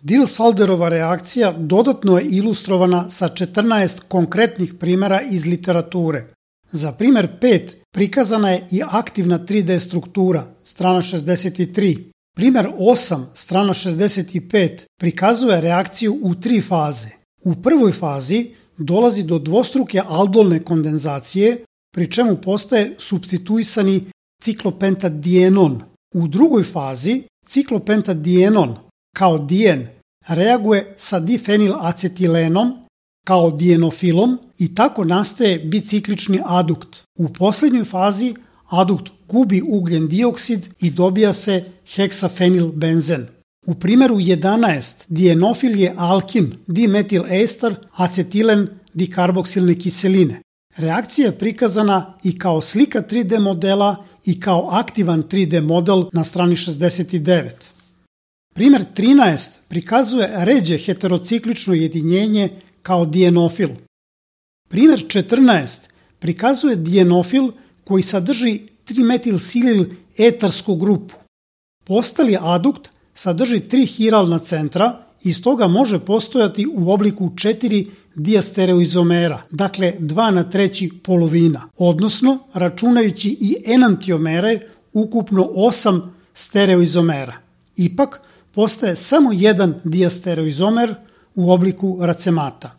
Diels-Alderova reakcija dodatno je ilustrovana sa 14 konkretnih primjera iz literature. Za primjer 5 prikazana je i aktivna 3D struktura, strana 63. Primjer 8, strana 65, prikazuje reakciju u 3 faze. U prvoj fazi dolazi do dvostruke aldolne kondenzacije, pri čemu postaje supstituisani ciklopentadienon. U drugoj fazi ciklopentadienon kao dijen reaguje sa difenilacetilenom kao dienofilom i tako nastaje biciklični adukt. U posljednjoj fazi adukt gubi ugljen dioksid i dobija se heksafenilbenzen. U primjeru 11 dienofil je alkin dimetilester acetilen dikarboksilne kiseline. Reakcija je prikazana i kao slika 3D modela i kao aktivan 3D model na strani 69. Primjer 13 prikazuje ređe heterociklično jedinjenje kao dienofil. Primjer 14 prikazuje dienofil koji sadrži 3-metilsilil etarsku grupu. Postali adukt sadrži 3 hiralna centra i stoga može postojati u obliku 4 diastereoizomera, dakle 2/3 polovina, odnosno računajući i enantiomere ukupno 8 stereoizomera. Ipak postaje samo jedan diastereoizomer u obliku racemata.